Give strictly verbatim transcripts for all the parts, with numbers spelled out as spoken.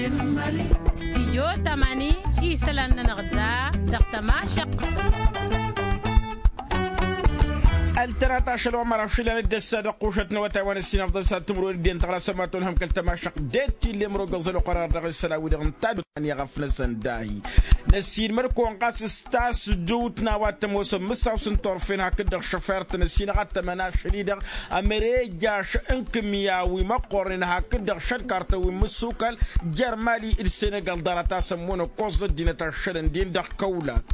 Stijyo tamani isălan-nănăɣ da dăɣ-tămašăqq. Ăltănat ašăl wa măraw šilăn dd-ăssa dăɣ-qušăt n-awătay wa n-ăssinăfḍăn s-ad-tǝmrăwen d-iyyăn tăɣlasăm ma tolhăm kăl-tămašăqq. Detti lem rogăẓăl oqărar dăɣ-isălan-wi-dăɣ n-tadut ănniɣăf-năsăn dahi. Năssiinmăr-kăwăn ɣas s-tasdut n-a-wa t-ămoosăn mǝssaw s-ǝnta orfen hakd-dăɣ šăfert n-ăssinăɣ ad-tămăn ašăl-i-dăɣ ămărejaš n-kǝmya wi măqqornen hakd-dăɣ šălkartăn wi n-mǝssukal jer-mali d-senegal ḍarăt-asăn munăkkoẓ ăddinăt ašălăn-din dăɣ-kăwlak.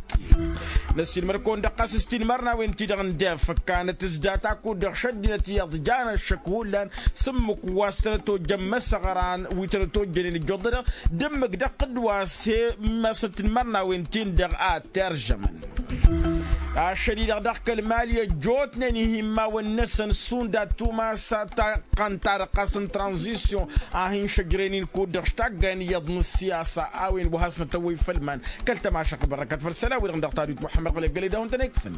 Năssiinmăr-kăwăn-dăɣ ɣas s-tinmărnawen-ti-dăɣ n-def ǝkkanăt s-data kud-dăɣ šăddinăt iyyăḍ jan ăššăk hullan s-ǝmmǝk wa s-tănăt-ojjăn imăsăɣran wi tănăt-ojjănen ǝjjoḍădăɣ d-ǝmmǝk dăɣ-tǝddǝwa s-e-masăn tinmărnawen-tin-dăɣ a t-eržămăn. Ašăl-i-dăɣ dăɣ-kăl-mali ăjjootnen ihimawăn-năsăn šund ad-tumas taqqăn-ta-dăɣ ɣas n-tranzisyon a hin-šăjrăyăn-in kud-dăɣ š-taggayăn iyyăḍ n-ăssiyasa a-wen wa hasnăt ăwwăy făll-iman. Kăl-tămašăqq bărrăkăt făll-isălan-wi-dăɣ dăɣ-tadut muḥămmăd ɣǝlăggăl i-dăɣ-wăn-tăn-ikfăn.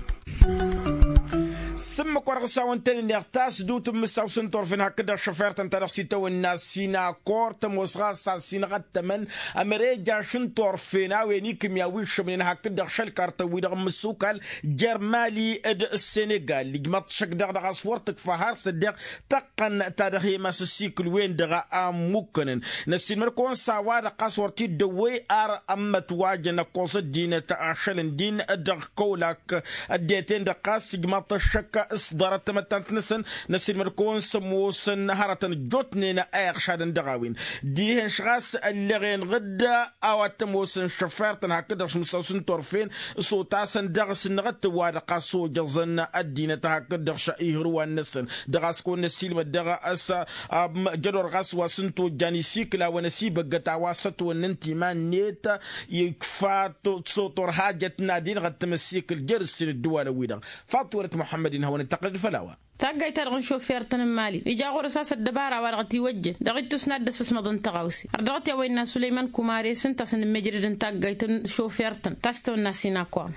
S-ǝmmǝk wa dăɣ-s a-wăn tăn-innăɣ tasdut n-imǝssaw s-ǝnta orfen hakd-dăɣ šăfert ǝnta dăɣ-s itawănna sinakor tămoos ɣas a-s inăɣ ad-tămăn ămărejaš n-turfen a-wen ikǝmya wi ǝššămnen hakd-dăɣ šălkartăn-wi-dăɣ n-imǝssukal jer-mali d-senegal ijmăḍ-t šăkk daɣ dăɣ-a-s wăr tǝkfa har s-ăddeɣ tăqqăn-ta dăɣ-he-mas ăssikǝl-wen-dăɣ a ǝmmukkănăn. Năssiinmăr-kăwăn s-a-wa-dăɣ ɣas wăr t-dd-ăwwăy ar ămmătwajăn ăkkoẓ ăddinăt ašăl ǝndin dăɣ-kăwlak ăddinăt-en-dăɣ ɣas ǝjmăḍ-t ăššăk s-ḍarăt tamăttant-năsăn. Năssiinmăr-kăwăn s-ămoosăn hărătăn ăjjootnen a iɣšadăn dăɣ-a-wen dihen-š ɣas ălleɣ-enăɣ-dd a-wa t-ămoosăn šăfert n-hakd-dăɣ šmǝssaw s-ǝnta orfen s-otasăn dăɣ-s ǝnnăɣ-t wa-dăɣ ɣas ojăẓăn ăddinăt hakd-dăɣ šăihǝrǝwan-năsăn. Dăɣ-a-s kăwăn-năssiilmăd dăɣ-s jădor ɣas wa s-ǝnta ojjan isikǝl a-wăn ăsibăggăt a-wa s-ătwănnăn timan-net ikfa s-otor hajăt n-ad-inɣăttăm ăssikǝl jer-ǝssin ǝddǝwalăn-wi-dăɣ. Faḍt wăr-t muḥămmăd-in hawăn-dd-tăqqǝlăd făll-a-wa. Taggayt-ta-dăɣ n-šofertăn n-mali ija ɣur-s a-s ăddăbara wa dăɣ-t-iwăjjăn dăɣ-ittus n-ad-dd-ăssăsmăḍăn tăɣawse. Ărdăɣăt i-a-wa innă sulăyman kumare s-ǝnta a-s ănǝmmejrăd n-taggayt n-šofertăn ta s-tawănna sinakor.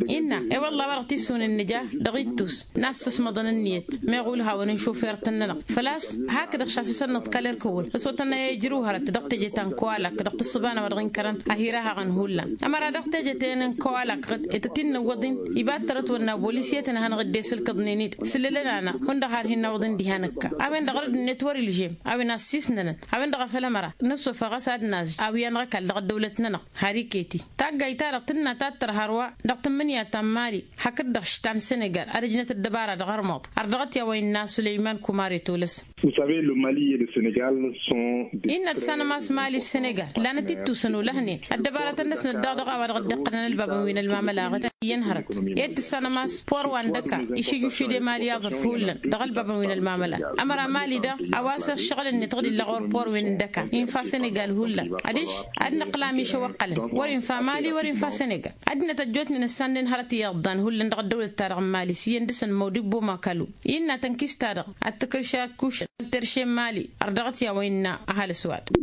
Innă e-wălla a-wa dăɣ-t-issunen nǝja dăɣ-ittus n-ad-săsmăḍăn ǝnniyăt meɣ ulhawăn n-šofertăn-nănăɣ făl-a-s hakd-dăɣ šasăsăn nǝḍkal erk ǝwwǝl s-otănna i-ijrǝw hărăt dăɣ-teje ta n-kăwalak dăɣ-tǝssǝba n-a-wa dăɣ-inkărăn ahir-ahăɣăn hullan. Ămăra dăɣ-teje-ten n-kăwalak ɣǝd i-tăt-in-nǝwwăḍ-in iba t-tărăt wănna bolisiyăt n-ehănăɣ-dd esǝlkǝḍnen-dd sǝllǝlăn-anăɣ hundăɣ har hin-nawăḍ-in diha nǝkka. A-wen-dăɣ rădd-net wăr-ilžem a-wen assisnănăn a-wen-dăɣ a făl ămăra nǝssofăɣ a-s ad-nazǝj a-wi anăɣ-ăkall dăɣ-ăddăwlăt-nănăɣ. Har iket-i taggayt-ta-dăɣ tǝnna ta t-tăr hărwa dăɣ-tǝmmǝnǝya ta n-mali hakd-dăɣ š-ta n-senegal ad-ăjnăt ăddăbara dăɣ-armăḍ. Ărdăɣăt i-a-wa innă sulăyman kumare tolăs. Vous savez, le Mali et le Sénégal sont des innă tǝssanăm a-s mali d-senegal lanăt-ittusăn olăhnen ăddăbarătăn-năsnăt daɣ dăɣ-a-wa dăɣ-dd-iqqălăn ălbabăn wi n-ălmamăla ɣǝd iyyăn hărăt. Ed tǝssanăm a-s por wa n-dăka išǝjjušǝde mali aẓrǝf hullan dăɣ-ălbabăn wi n-ălmamăla. Ămăra mali daɣ a-wa s-ăššăɣǝl-net ɣǝd illa ɣur-por wi n-dăka infa senegal hullan adiš ad-nǝqqǝl amišăw ăqqălăn wăr infa mali wăr infa senegal. Ăddinăt ăjjootnen ǝssanden hărăt iyyăḍ dan hullan dăɣ-ăddăwlăt-ta-dăɣ n-mali s-iyyăn dăɣ-săn măwd-ibboma kălu. Innă tănkist-ta-dăɣ ad-tǝkrǝš akkušăn terše n-mali ărdăɣăt i-a-wa innă ăhalǝs-wa-dăɣ.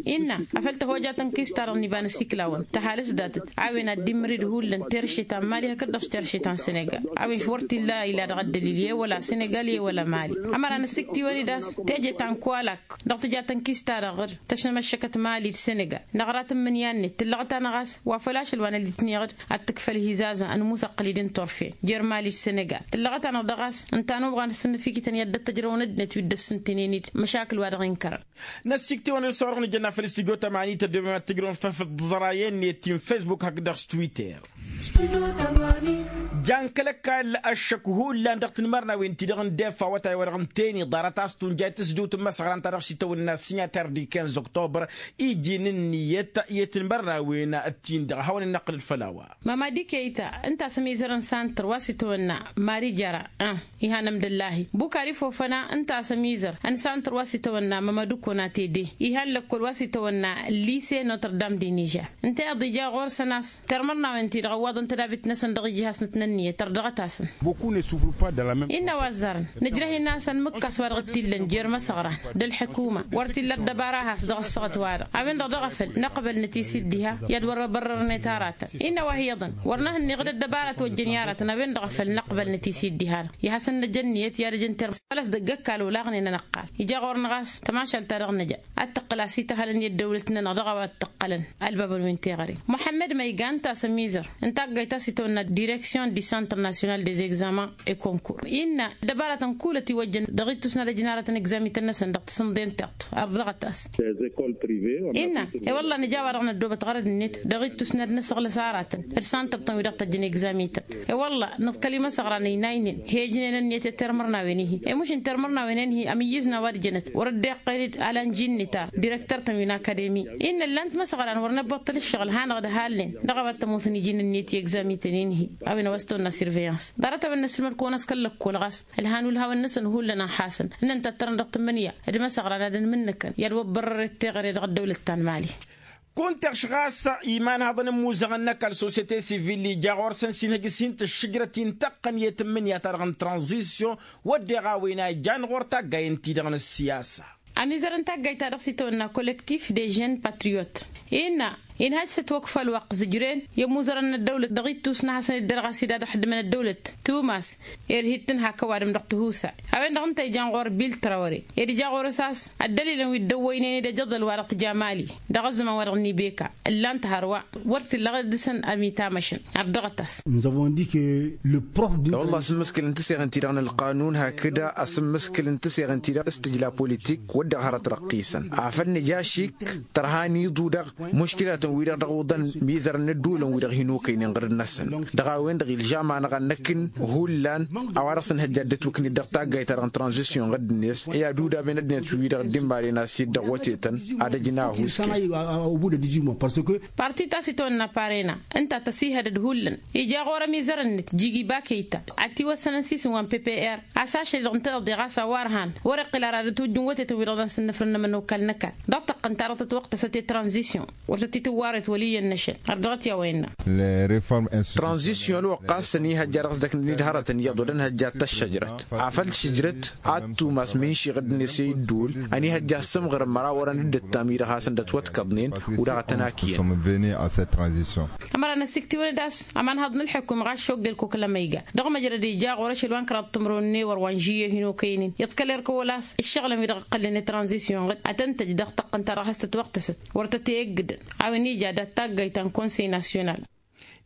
Innă afăl tăhoja tănkist-ta-dăɣ n-iba n-asikla-wăn tăhalǝs datăt a-wen ad-dd-immǝrǝd hullan terše ta n-mali hakd-dăɣ s-terše ta n-senegal. A-wen š-wăr t-illa ila dăɣ-ăddălil i-wăla senegal i-wăla mali. Ămăra năsiktǝwăn-dd a-s teje ta n-kăwalak dăɣ-tǝja tănkist-ta-dăɣ ɣǝr tăšnămăššăkăt mali d-senegal năɣra tǝmmǝnǝya-net tǝllăɣăt-anăɣ a-s wa făl ašăl wa n-ălitneɣ-dd ad-tǝkfăl hizazăn ănmusăqqǝl-dd n-turfen jer-mali d-senegal. Tǝllăɣăt-anăɣ dăɣ-a-s ǝnta n-uɣan s-ănnăfikităn i-ad-dd-tăjrăwăn ăddinăt wi dd-ăssǝntǝnen-dd măšakǝl wa dăɣ-inkărăn. Năssiktǝwăn-dd s-orăɣ nǝjănna făll-istudyo tămani tăddobem ad-tǝjrăwăn făll-tiẓrayen-net ti n-fesbuk hakd-dăɣ s-twitter. Jan kăl-ăkall ăššăk hullan dăɣ-tinmărnawen-ti-dăɣ n-defa awătay-wa-dăɣ ǝnta-en iḍarăt a-s tunjay tǝsdǝwt n-imăsăɣran-ta-dăɣ s-itawănna sinyatăr di kinz oktobăr iji n-ǝnniyăt i-tinmărnawen-tin-dăɣ a hawăn-in-năqqǝlăd făll-a-wa. Mamadi keyta ǝnta a-s ămizăr n-santăr wa s-itawănna mari jara ih'-anămdăllahi bukari fofăna ǝnta a-s ămizăr n-santăr wa s-itawănna mămădukko n-atede. Ihan lăkkol wa s-itawănna lise notre dame de nižer ǝnta iyyăḍ ija ɣur-săn a-s tărmărnawen-ti-dăɣ ăwwaḍăn. tădabit-năsăn dăɣ-iji hasnăt n-ǝnniyăt ărdăɣăt-asăn. Innă a-wa ăzzarăn nǝjrăh-in a-s ănmǝkkas wa dăɣ-t-illăn jer-imăsăɣran d-ălḥǝkuma wăr t-illa ăddăbara a has dăɣ-ăssaɣăt-wa-dăɣ a-wen-dăɣ dăɣ-afăl năqbăl năt-i-s dd-iha i-ad-wăr ăbărrărnet aratăn. Innă a-wa hi-iyyăḍăn wăr năhǝnniɣ d-ăddăbarat wa ǝjjăn i-aratăn a-wen-dăɣ afăl năqbăl năt-i-s dd-iha-dăɣ i-ad-hasăn-năj ǝnniyăt i-ad-ăj n-terẓa făl-a-s dăgg-ăkall olaɣnen ănăqqal ija ɣur-năɣ a-s tămašalt-ta-dăɣ nǝja ad-tăqqǝl a-s ităhălăn i-ăddăwlăt-nănăɣ dăɣ-a-wa t-ǝqqălăn ălbabăn wi n-teɣăre. Muḥămmăd măyga ǝnta a-s ămizăr n-taggayt ta s-itwănna direksyon di centre national des examens et concours innă ăddăbaratăn kull ătiwăjjăn dăɣ-ittus n-ad-ăj n-aratăn egzamităn-năsăn dăɣ-tasǝnḍe n-tiṭṭ ărdăɣăt-as. Innă e-wălla nǝja a-wa-dăɣ năddoobăt ɣărăd-net dăɣ-ittus n-ad-năsăɣlăs aratăn d-santăr-tăn wi dăɣ-tăjjăn egzamităn. E-wălla nǝḍkăl imăsăɣran ăynaynen he-ǝjnen ǝnniyăt i-termărnawen-i-hi i-muš n-termărnawen-en-hi ămǝyyǝzna wa d-jănăt wăr-dd-iqqăyăd alănji n-nitar direktăr-tăn wi n-akademi. Innă ǝllan-t imăsăɣran wăr năbbuṭṭăl ǝššăɣǝl hanăɣ-dd ăhalnen dăɣ-a-wa t-ămoosăn iji n-ǝnniyăt i-egzamităn-in-hi a-wen a-wa s-tăwănna surveyans ḍarăt-a-wen n-ăssilmăd-kăwăn a-s kăl-lăkkol ɣas ǝlhan ulhawăn-năsăn hullan a ănxasăn ǝnnăn tattărăn dăɣ-tǝmmǝnǝya d-imăsăɣran ad-ănmǝnnǝkăn i-ad-wăbbărrăret teɣăre dăɣ-ăddăwlăt ta n-mali. Kunta iɣš ɣas imanhăḍăn n-imuzăɣăn n-ăkall sosyete sivil ija ɣur-săn s-inhǝj s-hin-tǝššǝjrăt-i n-tăqqăn i-tǝmmǝnǝya-ta-dăɣ n-tranzisyon wădden a-wen a ijan ɣur-taggayăn-ti-dăɣ n-ăssiyasa. Ămizăr n-taggayt-ta-dăɣ s-itawănna kollektif de jeune patriyot innă inhăj s-ătwăkfa ălwăqq zǝjren i-ămuzărăn n-ăddăwlăt dăɣ-ittus n-ad-hasăn-dd-irɣas-dd ad-ăxdǝmăn ăddăwlăt tumas irhid-tăn hak ăwadǝm dăɣ-tihusay. A-wen-dăɣ ǝnta a ijan ɣur-bil trawăre ed ija ɣur-s a-s ăddălilăn wi dd-ăwwăynen-dd ejăḍăl wa dăɣ-tǝja mali dăɣ-ăzzăman wa dăɣ-nibeka ǝllan-t hărwa wăr t-illa ɣǝr-dăɣ-săn ămitamăšăn. Ărdăɣăt-as. N-zăvon dike le prof d-wălla asǝmmǝskǝl n-tiseɣen-ti-dăɣ n-ălqanun hakd asǝmmǝskǝl n-tiseɣen-ti-dăɣ s-tǝjla politik wădden hărăt răqqisăn afăl nǝja ašik tărha n-iḍu-dăɣ muškilatăn-wi-dăɣ dăɣ-uḍăn mizărăn n-ădduulăn-wi-dăɣ hin-okăynen ɣǝrǝd-năsăn. Dăɣ-a-wen-dăɣ ilžam-anăɣ ad-năkk n-hullan a-wa dăɣ-s ǝnhăjja dd-ătwǝknit dăɣ-taggayt-ta-dăɣ n-tranzisyon ɣǝdd-net i-ad-udaben ăddinăt-wi-dăɣ dd-imaren a-s dd-ăɣwătetăn ad-ăj n-ahus. Parti ta s-itwănna parena ǝnta tăsihădăd hullan ija ɣur-ămizăr-net jigi bakăyta ad-t-iwăssănăn s-isǝm wa n-ppr a-s ašăl-dăɣ ǝnta-dăɣ deɣ a-s a-wa ărhan wăr-iqqǝl ara ad-ătwǝjjǝn wătetăn-wi-dăɣ daɣ s-ǝnnǝfrǝnnăm ănokal n-ăkall dăɣ-tăqqǝnt ta dăɣ-tătwăqtăsăt i-tranzisyon wăr tăt-itǝwwarăyăt wăl' iyyăn-năšăn. Ărdăɣăt i-a-wa innă. Tranzisyon ălwăqq a-s ănihăjja dăɣ-s d-ăknănid hărătăn iyyăḍ wăr dd-ănhăjja ad-tăššăjrăt afăl tǝššǝjrăt ad-tumas min šiɣǝd-net i-ǝddul ănihăjja ăssǝmɣǝrăn măraw orăn dd-ǝttam-i dăɣ-hasăn-dd-ătwătkăḍnen. Wi-dăɣ a tăn-akǝyăn. Ămăra n-ăsiktiwăn-dd a-s ămanhăḍ n-ălḥǝkum ɣas šogge ălkokăl ămăyga dăɣ-măjrăd ija ɣur-ašăl wa n-kăraḍ timǝrwen n-ewăr wa n-žiyyăh hin-okăynen iḍkăl erk ăwăl a-s ǝššăɣǝlăn wi-dăɣ ǝqqălnen i-tranzisyon ɣǝd ad-tăn-tăj dăɣ-tăqqăn-ta-dăɣ has-tătwăqtăsăt wăr tăt-e-ǝggǝdăn. A-wen ija dat-taggayt ta n-konsey nasyonal.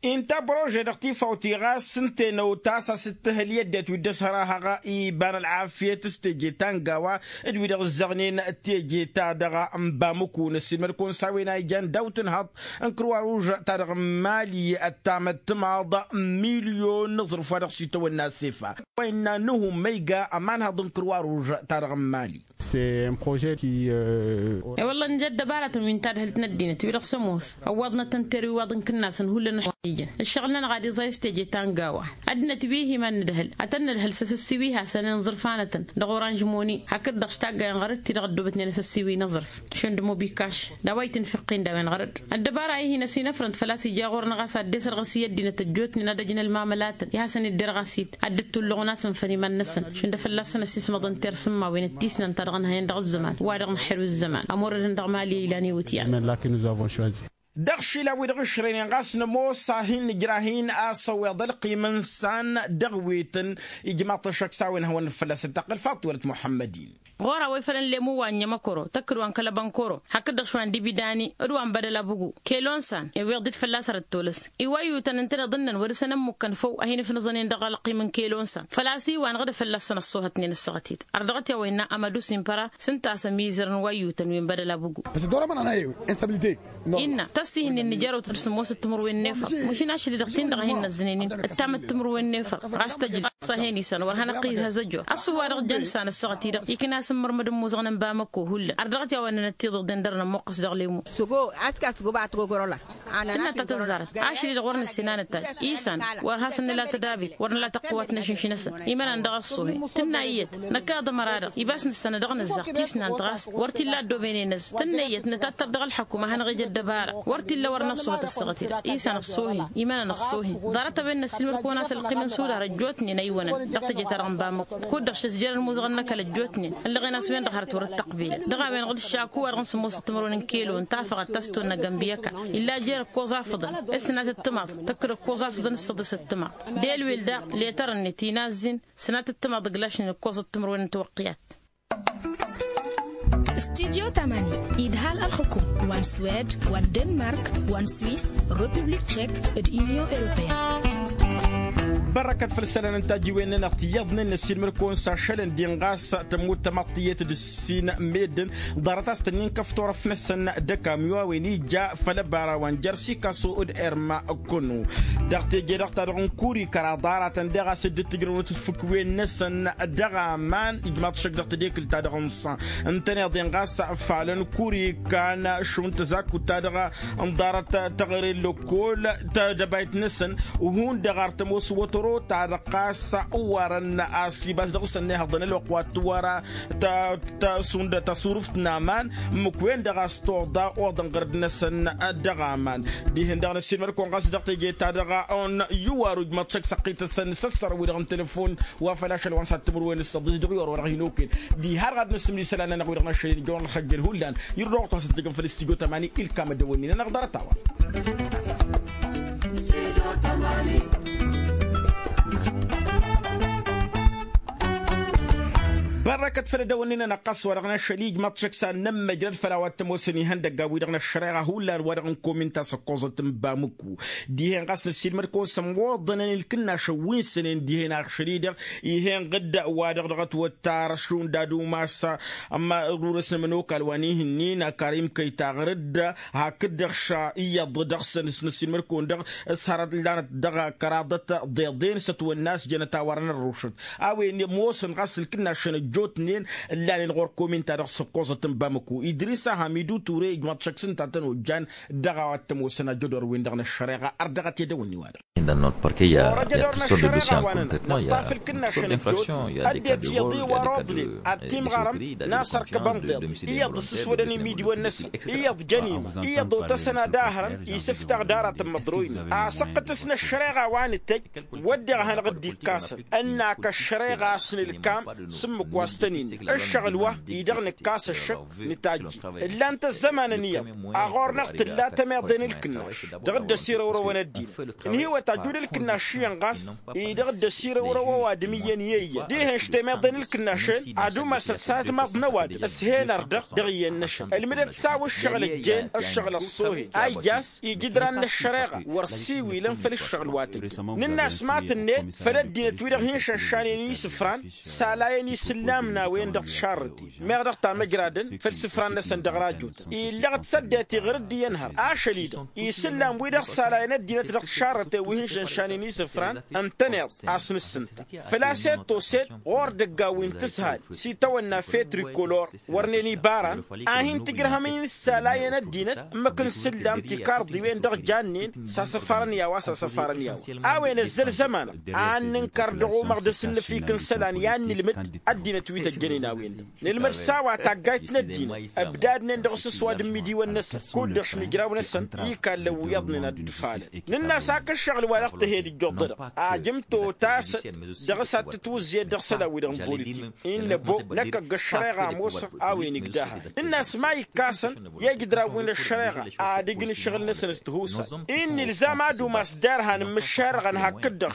Inta prože dăɣ-tifawt-i ɣas ǝnta enăw ta s-a-s dd-tǝhǝl i-ăddinăt wi dd-ăshărahăɣ iba n-ălɣafyăt s-teje ta n-gawa d-wi-dăɣ ǝzzăɣnen teje-ta-dăɣ. N-bamǝku n-ăssiilmăd-kăwăn s-a-wen a ijan daw-tǝnhăḍ n-kărwa ruž-ta-dăɣ n-mali ăttamăttămaḍ milyon n-aẓrǝf wa dăɣ-s itawănna sefa. Wa innă nǝhum ma iga ămanhăḍ n-kărwa ruž-ta-dăɣ n-mali. I-wălla nǝja ăddăbaratăn wi n-tadhǝlt n-ăddinăt wi-dăɣ s-ămoos ăwwaḍnăt ănter iwaḍ n-kǝnnasăn hullan a-wa ijăn ǝššăɣǝl-nănăɣ ad-iẓay s-teje ta n-gawa. Ăddinăt wi-hi iman nǝdhǝl ad-tăn-nǝdhǝl s-asǝssiwi hasăn-inẓǝrf hanătăn dăɣ-oranž moni hakd-dăɣ s-taggayăn ɣărăt-ti-dăɣ ăddoobătnen asǝssiwi n-aẓrǝf šund mobikaš d-a-wa itǝnfǝqqin d-a-wen ɣărăt. Ăddăbara-i hin-ăsinăfrăn-t făl-a-s ija ɣur-năɣ a-s ad-dd-esărɣǝs i-ăddinăt ăjjootnen ad-ăj n-ălmamălatăn i-hasăn-dd-irɣas-dd ad-dd-tulluɣăn a-s ǝnfăn iman-năsăn šund a-fălla-săn ăsismăḍăn tersǝmmawen d-tisnan ta dăɣ-nǝhăyăn dăɣ-ăzzăman wa dăɣ-năxer wi ǝzzăman ămurădăn dăɣ-mali ilan i-wǝtyan. Dăɣ-išilaw-wi-dăɣ ǝšrăynen ɣas nămoos a-hin-nǝjrah-in a-s ăwweḍ ălqim n-isan dăɣ-wetăn ijmaḍ-t ăššăk s-a-wen hawăn-năfălla s-dd-tăqqǝl faḍt wălăt muḥămmăd-in. Ɣur-a-wa ifălăn lemu wa n-inyămăkoro tăkkǝd wa n-kăl-abănkoro hakd-dăɣ šwa n-dibidani d-wa n-bădăl abǝgu kelonsan iwweḍ-dd fălla-s ărăt tolăs iwayyutăn ǝntăneḍ ǝnnăn wăr-dăɣ-săn ămmukkăn făw a hin-ifnǝẓănen dăɣ-ălqim n-kelonsan făl-a-s iwa n-ɣǝd fălla-săn ăṣṣoohătnen ǝssăɣăt-dd. Ărdăɣăt i-a-wa innă amădu simpăra s-ǝnta a-s ămizăr n-iwayyutăn wi n-bădăl abǝgu. Innă tăssihǝnnin n-ijarăwt d-sǝmmosăt timǝrwen n-efăr mašin ašăl-i-dăɣ tin-dăɣ a hin-năzzănen-in ǝttamăt timǝrwen n-efăr ɣas tăjla. Ăṣṣăhen isăn wăr hanăɣ-t-id-hăzăjjor ăṣṣuh-wa-dăɣ jăn ǝssan ăssaɣăt-i-dăɣ ikna s-ǝmmărmăd n-imuzăɣăn n-bamăkko hullan ărdăɣăt i-a-wa ǝnnăn ăttiḍeḍen dăr-nămmuqqăs dăɣ-lemu. Săgo aska săgo ba tăgogorăla. Tǝnna ta tăzzarăt ašăl-i-dăɣ wăr nǝssin a nǝttaj isăn wăr has-nǝla tădabit wăr nǝla tăqqǝwat n-ašǝnš-năsăn. Imănan dăɣ-ăṣṣuhi tǝnna iyyăt năkk a-dăɣ ămăra-dăɣ ibas nǝssanăd dăɣ-nǝzzaɣ tisnant ɣas wăr t-illa ăddooben-en-năsăn tǝnna iyyăt nǝtattăr dăɣ-ălḥăkum ad-hanăɣ-ija ăddăbara. Wăr t-illa wăr năṣṣuhăt ăssaɣăt-i-dăɣ isăn ăṣṣuhi. Imănan ăṣṣuhi ḍarăt a-wen n-ăssiilmăd-kăwăn a-s ălqim n-sudar ăjjootnen a iwănăn dăɣ-teje-ta-dăɣ n-bamăkko kud-dăɣ šăzjerăn imuzăɣăn n-ăkall ăjjootnen. Ăllăɣen a-s wen-dăɣ hărăt wăr-dd-tăqbilăn dăɣ-a-wen ɣǝd ǝššaku-wa-dăɣ n-sǝmmosăt timărwen n-kelon tafăɣăt ta s-tonna gănbiyăka illa jer-ǝkkoẓ afǝḍăn. S-sǝnat ǝttǝmaḍ tăkk-dd ǝkkoẓ afǝḍăn s-săḍǝs ǝttǝmaḍ d-elwel daɣ letar-net inazzin. Sǝnat ǝttǝmaḍ ǝglašnen ǝkkoẓ ǝttǝmărwen n-tiwăqqiyat. Studyo tamani idhal ălxǝkum wa n-swed wa n-denmark wa n-swis, republik tšek d-union europeyăn. Bărrăkăt făll-isălan n-tajǝwen-nănăɣ tiyyăḍnen n-ăssiilmăd-kăwăn s-ašălăn din ɣas tămmut tamaḍt tiyyăt d-ǝssin meddǝn ḍarăt a-s tănnin kăf-turăft-năsăn d-ăkamyo a-wen ija făll-ăbara wa n-jer-sikaso d-erma. Kăno dăɣ-teje-dăɣ ta dăɣ-n kuri kăraḍ aratăn daɣ a-s dd-tǝjrăwnăt ǝfǝkwen-năsăn dăɣ-aman ijmaḍ šăkk dăɣ-tedekǝlt ta dăɣ-n ṣan ǝntăneḍ-en ɣas falăn kuri kan šund tăzakut ta dăɣ-n ḍarăt tăɣre n-lăkkol tădăbayt-năsăn. Hundăɣ ar tămoos wătăro ta dăɣ ɣas ăwarăn a-s ibas dăɣ-săn ihăḍăn ălwăqq wa t-wăra ta ta šund ta surǝft n-aman. Ǝmmǝk-wen-dăɣ a-s toḍa oḍăn ɣărăd-năsăn dăɣ-aman. Dihen-dăɣ n-ăssiilmăd-kăwăn ɣas dăɣ-teje-ta-dăɣ a ănn iwar ujmăḍ šăkk săqqităsăn s-ăssărăn wi-dăɣ n-telefon wa făl ašăl wa n-sattǝmǝrwen s-săḍis dăɣ-iwar wa dăɣ-hin-okăyăn. Diha ărɣad n-asǝmli isălan-nănăɣ wi-dăɣ n-ašăl n-ijăwăn ălxăjjel hullan. Irrăɣ-tăɣ s-dd-ǝjăn făll-studyo tămani ilkam ad-dăwănnin-anăɣ ḍarăt-a-wa. Bărrăkăt făll-edăwănnin-anăɣ ɣas wa dăɣ-năšăl ijmăḍ šăkk s-ad-nămmăjrăd făll-a-wa t-ămoosăn ihăndăggan wi-dăɣ n-ăššăreɣa hullan wa dăɣ-n kominta s-ăkkoẓăt n-bamǝku. Dihen ɣas năssiilmăd-kăwăn s-ămmoḍănăn ilkǝnnašăn wi n-sănen dihen ašăl-i-dăɣ. Ih'-en ɣǝdda wa dăɣ-dăɣ ătwăttar šund ad-umas ămărurăs n-ămănokal wa n-ihǝnnin ăkarim kăytaɣ rǝdda. Hakd-dăɣ ša iyyăḍ dăɣ-săn s-năssiilmăd-kăwăn-dăɣ s-hărăt lanăt dăɣ-kăraḍăt deḍen s-ătwănna a-s jănăt a-wa dăɣ-nărrušăt. A-wen ămoosăn ɣas ǝlkǝnnašăn ăjjootnen ǝllanen ɣur-kominta-dăɣ s-ǝkkoẓăt n-bamăko idris ahamidu ture ijmaḍ šăkk s-ǝnta a tăn-ojjan. Dăɣ-a-wa t-ămoosăn ajădor-wen-dăɣ n-ăššăreɣa ărdăɣăt i-edăwănni-wa-dăɣ. Ăddinăt iyyăḍ i-wăr oḍnen ad-timɣarăm n-asărkăb ănḍeḍ iyyăḍ ǝssǝswădăn imidiwăn-năsăn iyyăḍ jăn imă iyyăḍ otăsăn ad-ahrăn isǝftaɣ d-aratăn măḍroynen. Asăqqǝtǝs n-ăššăreɣa wa nǝtăjj wădden a hanăɣ-dd-ikkasăn ănn-ak ăššăreɣa a-s nǝlkam s-ǝmmǝk wa s-tăn-innă ǝššăɣǝl wa-i-dăɣ nǝkkas ăššăk. Nǝtajjǝy ǝllan-t ăzzămanăn iyyăḍ a ɣur-năɣ tǝlla tămiḍe n-ǝlkǝnnaš dăɣ-dd-ăsirăwrăwăn ăddinăt. Ǝnhǝywăt ajud ǝlkǝnnaš iyyăn ɣas-i dăɣ-dd-ăsirăwrăw ăwadǝm iyyăn i-eyyăn dihen-š temiḍe n-ǝlkǝnnašen ad-umasăt s-atmaḍ n-ăwadǝm s-hen ărdăɣ dăɣ-iyyăn-năšăn ǝlmǝdăt s-a-wa ǝššăɣǝl ăjjeen ǝššăɣǝl ăṣṣoohen a ijjas ijǝdran n-ăššăreɣa wăr siwilăn făll-ǝššăɣǝl wa tǝjjăn. Nǝnn'-as ma tǝnnet făll-ăddinăt wi-dăɣ hin-šănšanen isǝfran s-alayăn isǝllam n-a-wen-dăɣ tišarrăten meɣ dăɣ-tamăjradăn făll-isǝfran-năsăn dăɣ-rajotăn illăɣ-dd săddet iɣrǝd iyyăn hărăt ašăl-i-dăɣ isǝllam wi-dăɣ s-alayăn ăddinăt dăɣ-tišarrăten wi hin-šănšanen isǝfran ǝntăneḍ a-s nǝssǝnta. Făl-a-s ed toset ɣur-dăgga wi n-tǝshal s-itawănna fetrikolor wărnen ibaran a hin-tǝjrăhăm-in s-alayăn ăddinăt ǝmmǝk n-isǝllam tikarḍiwen dăɣ-jannen s-asăfarăn i-a-wa s-asăfarăn i-a-wa. A-wen ăzzăl zămanăɣ a ănnǝnkăr dăɣ-umăɣdăs n-inǝfik n-isălan i-ad-nǝlmǝd ăddinăt wi tăjjănen a-wen-dăɣ nǝlmǝd s-a-wa taggayt n-ăddinăt ǝbdadnen dăɣ-asǝswad n-imidiwăn-năsăn kud-dăɣ šmǝjrawăn-năsăn. Ikallăn wi iyyăḍnen ad-dd-ǝfalăn nǝnn'-as ak ǝššăɣǝl wa dăɣ-tǝhed ǝjjuḍ-dăɣ ajǝm totasăt dăɣ-s ad-tǝtwǝzzǝyăt dăɣ-isălan-wi-dăɣ n-politik. Innă ăbbo năkk ăgg-ăššăreɣa ămoosăɣ a-wen igdahăyăn nǝnn'-as ma ikkasăn i-ijǝdran wi n-ăššăreɣa ad-ǝjǝn ǝššăɣǝl-năsăn s-tihusay. Innă ilzam ad-umas derhan n-imǝššerăɣăn hakd-dăɣ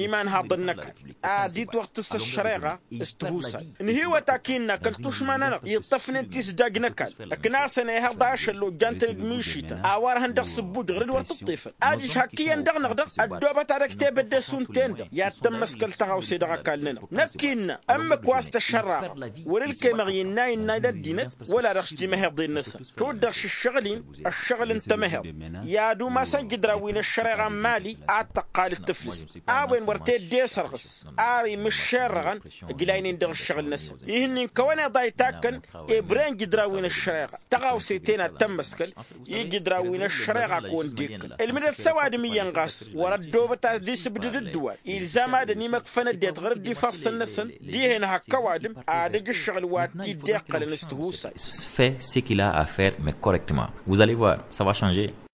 imanhaḍăn n-ăkall ad-itwăɣtǝs ăššăreɣa s-tihusay. Nǝhiwăt ak innă kăl-tušma-nănăɣ iṭṭăfnen tisdaj n-ăkall ǝknasăn ehăḍ ašăl ojjan-tăn d-mišităn a-wa ărhăn dăɣ-sǝbbuj ɣur-dd wăr tǝṭṭefăn. Ad-ǝžhăkkǝyăn dăɣ-năɣ dăɣ ăddoobăt ad-ăj tebădde šund-ten-dăɣ i-ad-tămmăskăl tăɣawse dăɣ-ăkall-nănăɣ. Năkk innă ǝmmǝk wa s-tăššărraɣăɣ wăr-ǝlkăymeɣ i-innă innă d-ăddinăt wăla dăɣ-s timăheḍen-năsăn. Tud-dăɣ šǝššăɣǝl-in ăššăɣǝl n-tamăheḍt i-ad-umasăn jǝdran wi n-ăššăreɣa n-mali ad-tăqqal d-tǝflǝst. A-wen wăr t-dd-e-sărɣǝs ar imǝššerrăɣăn ǝjlaynen dăɣ-ǝššăɣǝl-năsăn. Ihǝnnin kăwăn-iḍa itakkăn ebren jǝdran wi n-ăššăreɣa tăɣawse-ten ad-tămmăskăl i-jǝdran wi n-ăššăreɣa kăwăn-dd-ikkǝlăn. Ǝlmǝdăt s-ăwadǝm iyyăn ɣas wăr ăddoobăt ad-dd-isǝbdǝd ǝddǝwal ilzam ad-ănimăkfăn ăddinăt ɣur-dd ifassăn-năsăn dihen hak ăwadǝm ad-ǝjǝššăɣǝl wa t-dd-iqqălăn s-tihusay. Fait ce qu'il a à faire mais correctement, vous allez voir, ça va changer.